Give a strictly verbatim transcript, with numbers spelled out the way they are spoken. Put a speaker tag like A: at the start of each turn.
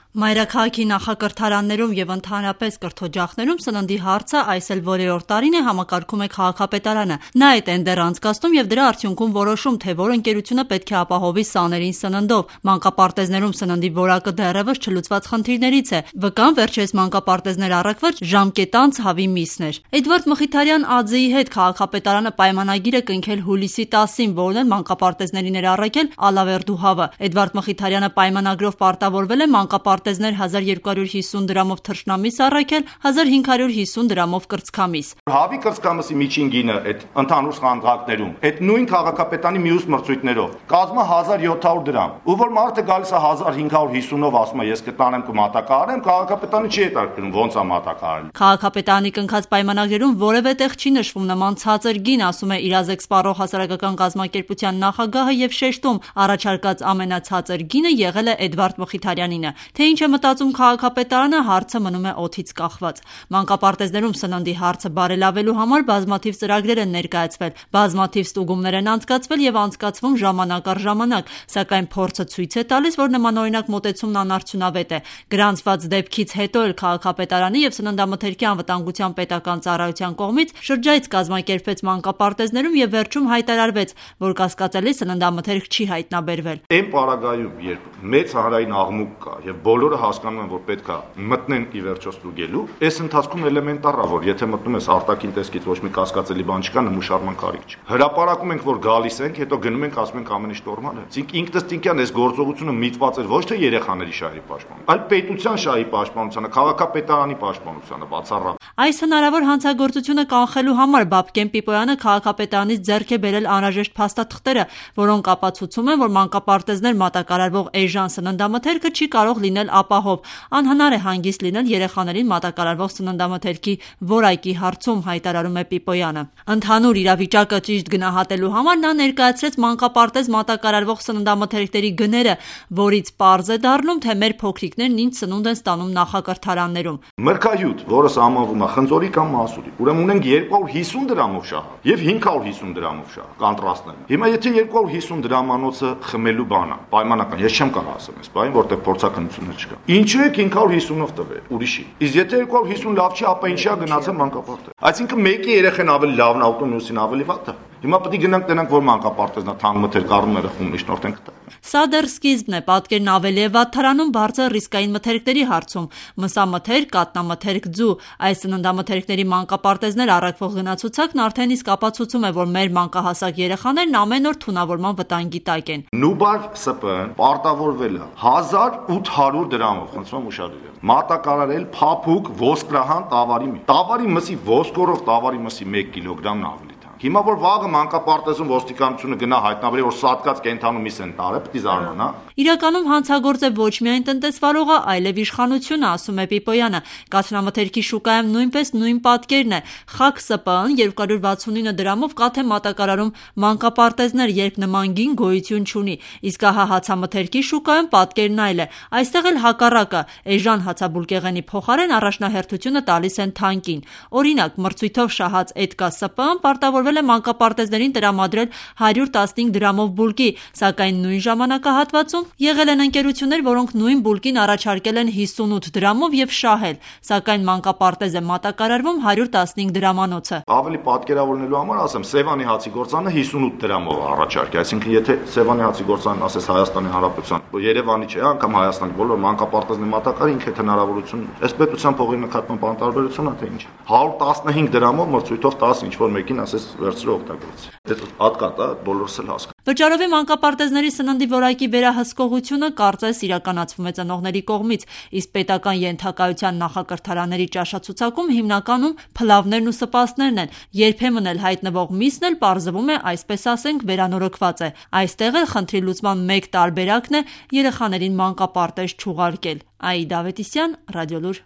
A: Մայրաքաղաքի նախակրթարաններում և ընդհանրապես կրթօջախներում սննդի հարցը այս էլ որերորդ տարին է համակարգում է քաղաքապետարանը։ Նա է տենդեր անցկացնում և դրա արդյունքում որոշում, թե որ ընկերությունը պետք է ապահովի սաներին սննդով։ Մանկապարտեզներում սննդի որակը դեռևս չլուծված խնդիրներից է։ Վկան վերջերս մանկապարտեզներ առաքվեց ժամկետանց հավի միսն էր։ Էդվարդ Մխիթարյան Աձեի հետ քաղաքապետարանը պայմանագիր է կնքել հուլիսի տասին, որն էլ մանկապարտեզներին էր առաքել Ալավերդու հավը։ Էդվարդ Մխիթարյանը պայմանագրով պարտավորվել է մանկապարտեզներ հազար երկու հարյուր հիսուն դրամով թռչնամիս առաքել, հազար հինգ հարյուր հիսուն դրամով կրծքամիս։
B: Հավի կրծքամսի միջին գինը այդ ընդհանուր խանդղակներում, այդ նույն քաղաքապետանի մյուս մրցույթներով կազմա հազար յոթ հարյուր դրամ։ Ու որ մարդը գալիս է հազար հինգ հարյուր հիսունով ասում է ես կտանեմ կմատակարարեմ, քաղաքապետանը չի հետաքրքրում ոնց է մատակարարել։
A: Քաղաքապետարանի կնքած պայմանագրերում որևէ տեղ չի նշվում նման ցածր գին, ասում է Իրազեկ սպառող հասարակական կազմակերպության նախագահը եւ շեշտում առաջարկած ամենացածր գինը եղել է Էդվարդ Մխիթարյանինը։ Թե ինչ է մտածում քաղաքապետարանը, հարցը մնում է օդից կախված։ Մանկապարտեզներում սննդի հարցը բարելավելու համար բազմաթիվ ծրագրեր են ներկայացվել, բազմաթիվ ստուգումներ են անցկացվել եւ անցկացվում ժամանակ առ ժամանակ, սակայն փորձը ցույց է տալիս, որ նմանօրինակ մոտեցումն անարդյունավետ է։ Գրանցված դեպքից հետո էլ քաղաքապետարանի եւ սննդամթերքի անվտանգության պետական ծառայության կողմից շրջայց կազմակերպվեց մանկապարտեզներում եւ վերջում հայտարարվեց, որ կասկածելի սննդամթերք չի հայտնաբերվել։
B: Այն պարագայում, երբ մեծ հանրային աղմուկ կա եւ բոլորը հասկանում են, որ պետք է մտնեն ի վերջո ստուգելու, այս ընթացքում էլեմենտար է, որ եթե մտնում ես արտաքին տեսքից ոչ մի կասկածելի բան չկա, նմուշարման կարիք չի։ Հրապարակում ենք, որ գալիս ենք, հետո գնում ենք, ասում ենք ամեն ինչ նորմալ է։ Իսկ ինքնըստինքյան այս գործողությունը միտված էր ոչ թե երեխաների շահի պաշտպանության, այլ պետության շահի պաշտպանությանը, քաղաքապետարանի պաշտպանությանը բացառապես։
A: Այս հնարավոր հանցագործությունը կանխելու համար Բաբկեն Պիպոյանը քաղաքապետարանից ձեռք է բերել անհրաժեշտ փաստաթղթերը, որոնք ապացուցում են, որ մանկապարտեզներ մատակարարվող էժան սննդամթերքը չի կարող լինել ապահով, անհնար է հանգիստ լինել երեխաներին մատակարարվող սննդամթերքի որակի հարցում, հայտարարում է Պիպոյանը։ Ընդհանուր իրավիճակը ճիշտ գնահատելու համար նա ներկայացրեց մանկապարտեզ մատակարարվող սննդամթերքների գները, որից պարզ է դառնում, թե մեր փոքրիկներն ինչ սնունդ են ստանում նախակրթարաններում։
B: Մրգահյութ, որը սահմանվում է խնձորի կամ մասուրի, ուրեմն ունենք երկու հարյուր հիսուն դրամով շահ եւ հինգ հարյուր հիսուն դրամով շահ, կոնտրաստներ։ Հիմա եթե երկու հարյուր հիսուն դրամանոցը խմելու բան է, պայմանական, ես չեմ կարող ասեմ այս բանը, որտեղ փորձականություններ չկա։ Ինչու է հինգ հարյուր հիսունով տվել, ուրիշի։ Իսկ եթե երկու հարյուր հիսուն լավ չի, ապա ինչի՞ է գնացել մանկապարտեզ։ Այսինքն մեկի երեխան ավելի լավն է ուտում, մյուսին ավելի վատը։ Հիմա պետք է գնանք տենանք, որ մանկապարտեզնա թանկ մթերք առումները խումբ միջնորդենք տա։
A: Սա դեռ սկիզբն է, պատկերն ավելի է վատթարանում բարձր ռիսկային մթերքների հարցում։ Մսամթերք, կատնամթերք, ձու, այս սննդամթերքների մանկապարտեզներ առաքվող գնացուցակն արդեն իսկ ապացուցում է, որ մեր մանկահասակ երեխաներն ամեն օր թունավորման վտանգի տակ են։
B: Նուբար ՍՊ-ն պարտավորվել է հազար ութ հարյուր դրամով, խնդրում եմ ուշադրել, մատակարարել փափուկ ոսկրահան տավարի մի։ Տավարի մսի ոսկորով տավարի մսի մեկ կիլոգրամն ավելի։ Հիմա որ վաղը մանկապարտեզում ոստիկանությունը գնա հայտնաբերի, որ սատկած կենթանու միս են տարել, պետք է զարմանա։
A: Իրականում հանցագործ է ոչ միայն տնտեսվարողը, այլև իշխանությունը, ասում է Պիպոյանը։ Կաթնամթերքի շուկայում նույնպես նույն պատկերն է։ Խակ ՍՊ-ն երկու հարյուր վաթսունինը դրամով կաթ է մատակարարում մանկապարտեզներ, երբ նման գին գոյություն չունի։ Իսկ ահա հացամթերքի շուկայում պատկերն այլ է։ Այստեղ էլ հակառակը, էժան հացաբուլկեղենի փոխարեն առաջնահերթությունը տալիս են թանկին։ Օրինակ, մրցույթով շահած Էդկա ՍՊ-ն պարտավոր է մանկապարտեզներին տրամադրել հարյուր տասնհինգ դրամով բուլկի, սակայն նույն ժամանակահատվածում եղել են ընկերություններ, որոնք նույն բուլկին առաջարկել են հիսունութ դրամով եւ շահել, սակայն մանկապարտեզ է մատակարարվում հարյուր տասնհինգ դրամանոցը։
B: Ավելի պատկերավորելու համար ասեմ, Սևանի հացի գործանը հիսունութ դրամով առաջարկի, այսինքն եթե Սևանի հացի գործանն ասես Հայաստանի Հանրապետության, Երևանի չէ, անգամ Հայաստանի բոլոր մանկապարտեզների մատակարարի ինքը հնարավորություն, այս պետության փողի նկատմամբ անտարբերություն է թե ինչ։ հարյուր տասնհինգ դրամով մրցույթով տաս ինչ որ մեկին ասես վերցրու օգտագործի։ Դա հատկատ է, բոլորս էլ հասկանան։
A: Վճարովի մանկապարտեզների սննդի որակի վերահսկողությունը կարծես իրականացվում է ծնողների կողմից, իսկ պետական ենթակայության նախակրթարանների ճաշացուցակում հիմնականում փլավներն ու սպասներն են։ Երբեմն էլ հայտնվող միսն էլ պարզվում է, այսպես ասենք, վերանորոգված է։ Այստեղ էլ խնդրի լուծման մեկ տարբերակն է երեխաներին մանկապարտեզ չուղարկել։ Աիդա Ավետիսյան, Ռադիոլուր։